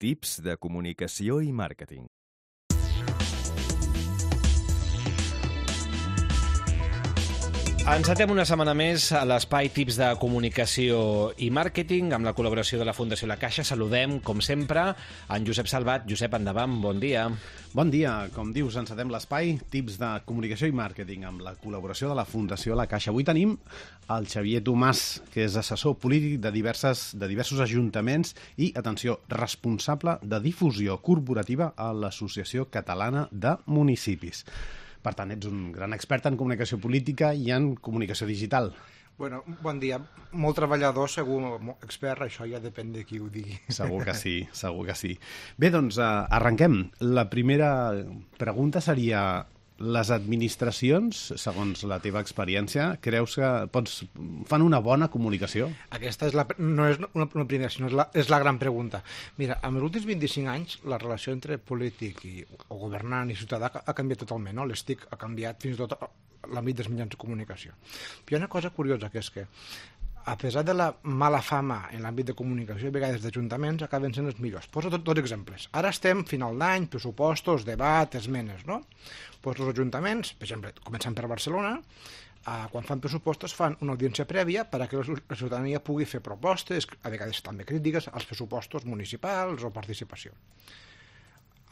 Tips de comunicació i màrqueting. Encetem una setmana més a l'espai Tips de comunicació i màrqueting amb la col·laboració de la Fundació La Caixa. Saludem, com sempre, en Josep Salvat. Josep, endavant, bon dia. Bon dia. Com dius, encetem l'espai Tips de comunicació i màrqueting amb la col·laboració de la Fundació La Caixa. Avui tenim el Xavier Tomàs, que és assessor polític de diversos ajuntaments i, atenció, responsable de difusió corporativa a l'Associació Catalana de Municipis. Per tant, ets un gran expert en comunicació política i en comunicació digital. Bueno, bon dia. Molt treballador, segur, molt expert, això ja depèn de qui ho digui. Segur que sí, segur que sí. Bé, doncs, arrenquem. La primera pregunta seria: les administracions, segons la teva experiència, creus que fan una bona comunicació? Aquesta no és una primera, sinó és la gran pregunta. Mira, en els últims 25 anys la relació entre polític o governant i ciutadà ha canviat totalment, no? L'ESTIC ha canviat fins i tot l'àmbit dels mitjans de comunicació. Però hi ha una cosa curiosa, que és que a pesar de la mala fama en l'àmbit de comunicació, a vegades d'ajuntaments acaben sent els millors. Poso dos exemples. Ara estem final d'any, pressupostos, debat, esmenes, no? Doncs els ajuntaments, per exemple, començant per Barcelona, quan fan pressupostos fan una audiència prèvia perquè la ciutadania pugui fer propostes, a vegades també crítiques, als pressupostos municipals o participació.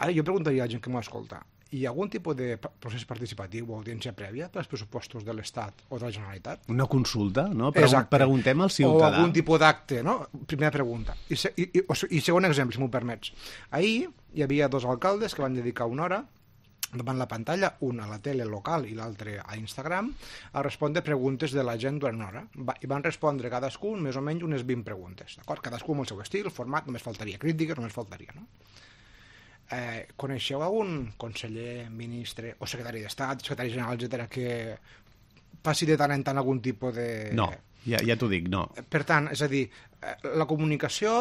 Ara jo preguntaria a la gent que m'ho escolta: hi ha algun tipus de procés participatiu o audiència prèvia per als pressupostos de l'Estat o de la Generalitat? Una consulta, no? Exacte. Preguntem al ciutadà. O algun tipus d'acte, no? Primera pregunta. I segon exemple, si m'ho permets. Ahir hi havia dos alcaldes que van dedicar una hora davant la pantalla, un a la tele local i l'altre a Instagram, a respondre preguntes de la gent durant una hora. I van respondre cadascun més o menys unes 20 preguntes. D'acord? Cadascú amb el seu estil, format, només faltaria crítiques, només faltaria, no? Coneixeu algun conseller, ministre o secretari d'Estat, secretari general, etcètera, que passi de tant en tant algun tipus de... No, ja t'ho dic, no. Per tant, és a dir, la comunicació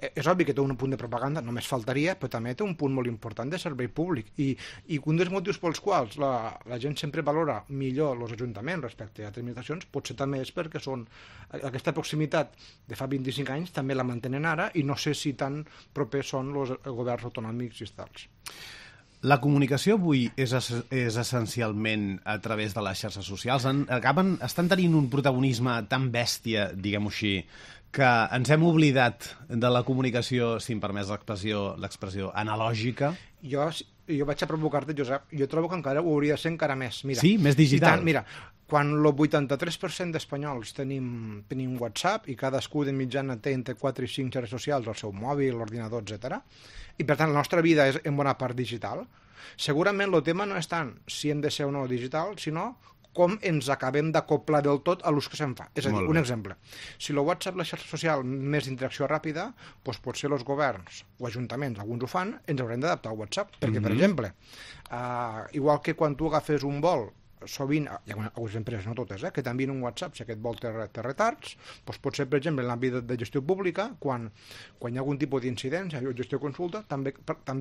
és obvi que té un punt de propaganda, només faltaria, però també té un punt molt important de servei públic. I un dels motius pels quals la gent sempre valora millor els ajuntaments respecte a altres administracions potser també és perquè són aquesta proximitat de fa 25 anys també la mantenen ara, i no sé si tan propers són els governs autonòmics i estatals. La comunicació avui és essencialment a través de les xarxes socials. Estan tenint un protagonisme tan bèstia, diguem-ho així, que ens hem oblidat de la comunicació, si em permets l'expressió analògica. Jo vaig a provocar-te, Josep. Jo trobo que encara ho hauria de ser encara més. Mira, sí? Més digital? Mira, quan el 83% d'espanyols tenim WhatsApp i cadascú de mitjana té entre 4 i 5 xarxes socials, el seu mòbil, l'ordinador, etc. I per tant la nostra vida és en bona part digital, segurament el tema no és tant si hem de ser o no digital, sinó com ens acabem d'acoplar del tot a l'ús que se'n fa. És a dir, un exemple. Si el WhatsApp, la xarxa social més d'interacció ràpida, doncs potser els governs o ajuntaments, alguns ho fan, ens haurem d'adaptar al WhatsApp. Perquè, per exemple, igual que quan tu agafes un vol, sovint, hi ha algunes empreses, no totes, que t'envien un WhatsApp si aquest vol té retards, doncs potser, per exemple, en l'àmbit de gestió pública, quan hi ha algun tipus d'incidència o gestió consulta, també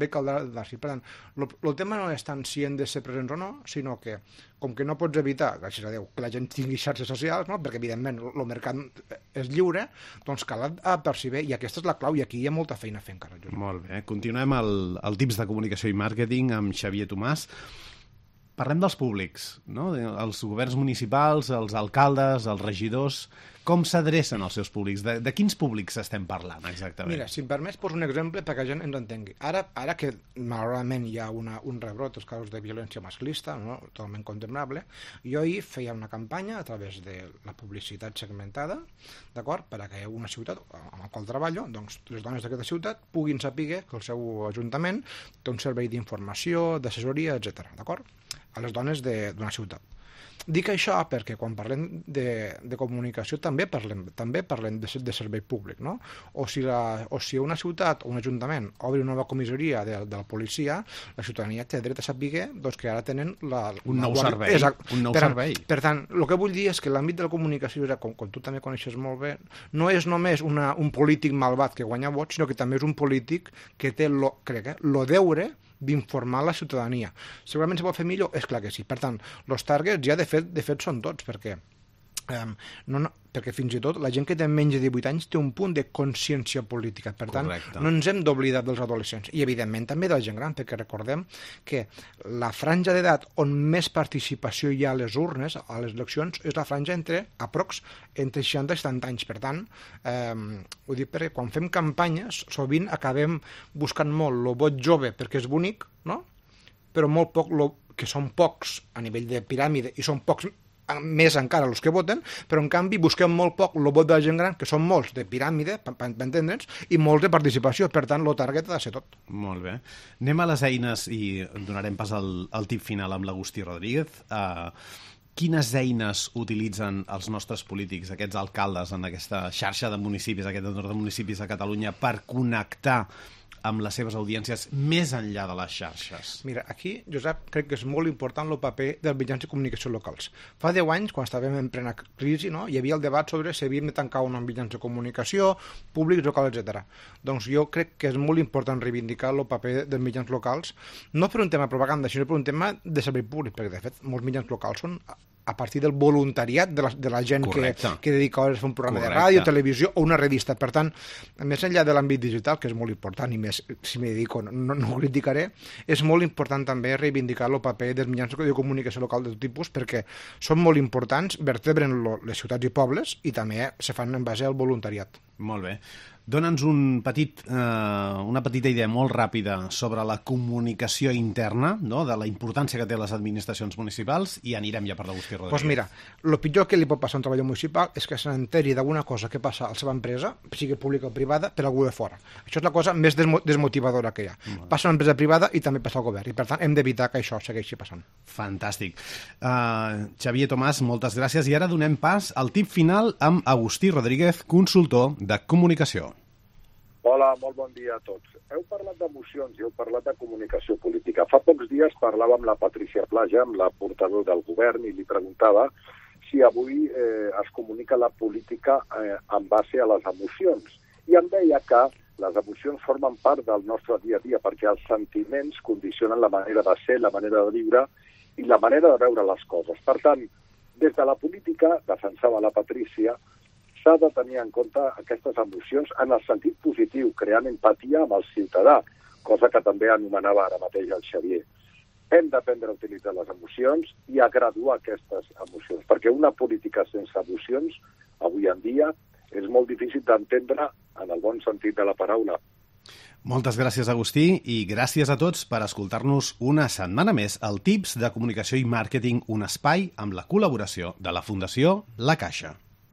caldrà dar-s'hi. Per tant, el tema no és tant si hem de ser presents o no, sinó que, com que no pots evitar, gràcies a Déu, que la gent tingui xarxes socials, no? Perquè, evidentment, el mercat és lliure, doncs cal adaptar-s'hi bé, i aquesta és la clau, i aquí hi ha molta feina a fer encara. Molt bé. Continuem el Tips de comunicació i màrqueting amb Xavier Tomàs. Parlem dels públics, no? Els governs municipals, els alcaldes, els regidors. Com s'adrecen als seus públics? De quins públics estem parlant, exactament? Mira, si em permets, poso un exemple perquè la gent ens entengui. Ara que, malauradament, hi ha un rebrot dels casos de violència masclista, no? Totalment condemnable, jo ahir feia una campanya a través de la publicitat segmentada, d'acord? Perquè una ciutat amb la qual treballo, doncs les dones d'aquesta ciutat puguin saber que el seu ajuntament té un servei d'informació, d'assessoria, etc. D'acord? A les dones d'una ciutat. Dic això perquè quan parlem de comunicació també parlem de servei públic, no? O si una ciutat o un ajuntament obri una nova comissaria de la policia, la ciutadania té dret a saber doncs, que ara tenen un nou servei. Per tant, el que vull dir és que l'àmbit de la comunicació, com tu també coneixes molt bé, no és només un polític malvat que guanya vots, sinó que també és un polític que té el deure d'informar la ciutadania. Segurament se pot fer millor? És clar que sí. Per tant, els targets ja de fet són tots, perquè perquè fins i tot la gent que té menys de 18 anys té un punt de consciència política. Per tant, Correcte. no ens hem d'oblidar dels adolescents. I, evidentment, també de la gent gran, perquè recordem que la franja d'edat on més participació hi ha a les urnes, a les eleccions, és la franja entre 60 i 70 anys. Per tant, ho dic perquè quan fem campanyes, sovint acabem buscant molt el vot jove perquè és bonic, no? Però molt poc, que són pocs a nivell de piràmide, i són pocs més encara els que voten, però en canvi busquem molt poc el vot de la gent gran, que són molts de piràmide, per entendre'ns, i molts de participació. Per tant, el target ha de ser tot. Molt bé. Anem a les eines i donarem pas al tip final amb l'Agustí Rodríguez. Quines eines utilitzen els nostres polítics, aquests alcaldes, en aquesta xarxa de municipis, aquest entorn de municipis de Catalunya, per connectar amb les seves audiències més enllà de les xarxes? Mira, aquí, Josep, crec que és molt important el paper dels mitjans de comunicació locals. Fa 10 anys, quan estàvem en plena crisi, no, hi havia el debat sobre si havíem de tancar o no amb mitjans de comunicació, públics, locals, etc. Doncs jo crec que és molt important reivindicar el paper dels mitjans locals, no per un tema de propaganda, sinó per un tema de servei públic, perquè, de fet, molts mitjans locals són a partir del voluntariat de la gent que dedica hores a fer un programa de ràdio, televisió o una revista. Per tant, més enllà de l'àmbit digital, que és molt important, i més si m'hi dedico no ho criticaré, és molt important també reivindicar el paper dels mitjans de comunicació local de tot tipus, perquè són molt importants, vertebren les ciutats i pobles i també se fan en base al voluntariat. Molt bé. Dona'ns una petita idea molt ràpida sobre la comunicació interna, no?, de la importància que té les administracions municipals, i anirem ja per l'Agustí Rodríguez. Doncs mira, el pitjor que li pot passar a un treballador municipal és que s'enteri d'alguna cosa que passa a la seva empresa, sigui pública o privada, per algú de fora. Això és la cosa més desmotivadora que hi ha. Passa a una empresa privada i també passa al govern, i per tant hem d'evitar que això segueixi passant. Fantàstic. Xavier Tomàs, moltes gràcies, i ara donem pas al tip final amb Agustí Rodríguez, consultor de comunicació. Hola, molt bon dia a tots. Heu parlat d'emocions i heu parlat de comunicació política. Fa pocs dies parlava amb la Patricia Plaja, amb la portaveu del govern, i li preguntava si avui es comunica la política en base a les emocions. I em deia que les emocions formen part del nostre dia a dia, perquè els sentiments condicionen la manera de ser, la manera de viure i la manera de veure les coses. Per tant, des de la política, defensava la Patricia, s'ha de tenir en compte aquestes emocions en el sentit positiu, creant empatia amb el ciutadà, cosa que també anomenava ara mateix el Xavier. Hem d'aprendre a utilitzar les emocions i a graduar aquestes emocions, perquè una política sense emocions, avui en dia, és molt difícil d'entendre en el bon sentit de la paraula. Moltes gràcies, Agustí, i gràcies a tots per escoltar-nos una setmana més al Tips de Comunicació i Màrqueting, un espai amb la col·laboració de la Fundació La Caixa.